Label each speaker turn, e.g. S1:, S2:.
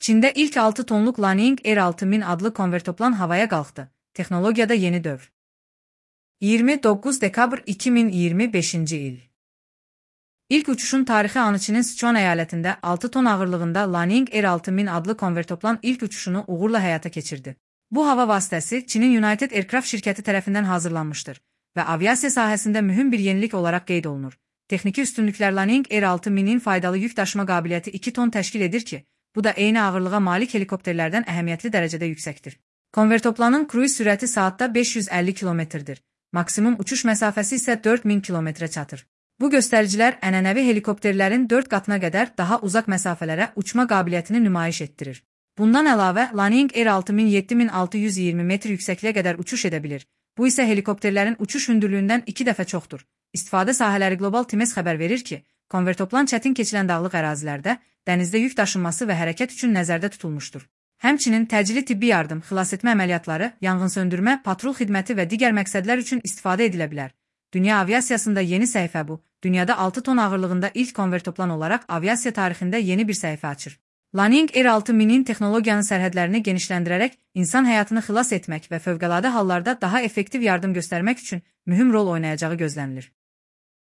S1: Çində ilk 6 tonluq Liaoning Air 6000 adlı konvertoplan havaya qalxdı. Texnologiyada yeni dövr. 29 dekabr 2025-ci il. İlk uçuşun tarixi anı Çinin Sichuan əyalətində 6 ton ağırlığında Liaoning Air 6000 adlı konvertoplan ilk uçuşunu uğurla həyata keçirdi. Bu hava vasitəsi Çinin United Aircraft şirkəti tərəfindən hazırlanmışdır və aviasiya sahəsində mühüm bir yenilik olaraq qeyd olunur. Texniki üstünlüklər Liaoning Air 6000-in faydalı yük daşıma qabiliyyəti 2 ton təşkil edir ki, bu da eyni ağırlığa malik helikopterlərdən əhəmiyyətli dərəcədə yüksəkdir. Konvertoplanın kruiz sürəti saatda 550 km-dir. Maksimum uçuş məsafəsi isə 4000 km çatır. Bu göstəricilər ənənəvi helikopterlərin 4 qatına qədər daha uzaq məsafələrə uçma qabiliyyətini nümayiş etdirir. Bundan əlavə, Liaoning Air 6000 7620 metr yüksəkliyə qədər uçuş edə bilir. Bu isə helikopterlərin uçuş hündürlüyündən 2 dəfə çoxdur. İstifadə sahələri Global Times xəbər verir ki, konvertoplan çətin keçilən dağlıq ərazilərdə, dənizdə yük daşınması və hərəkət üçün nəzərdə tutulmuşdur. Həmçinin təcili tibbi yardım, xilasetmə əməliyyatları, yanğınsöndürmə, patrul xidməti və digər məqsədlər üçün istifadə edilə bilər. Dünya aviasiyasında yeni səhifə bu. Dünyada 6 ton ağırlığında ilk konvertoplan olaraq aviasiya tarixində yeni bir səhifə açır. Liaoning Air 6000-in texnologiyanın sərhədlərini genişləndirərək insan həyatını xilas etmək və fövqəladə hallarda daha effektiv yardım göstərmək üçün mühüm rol oynayacağı gözlənilir.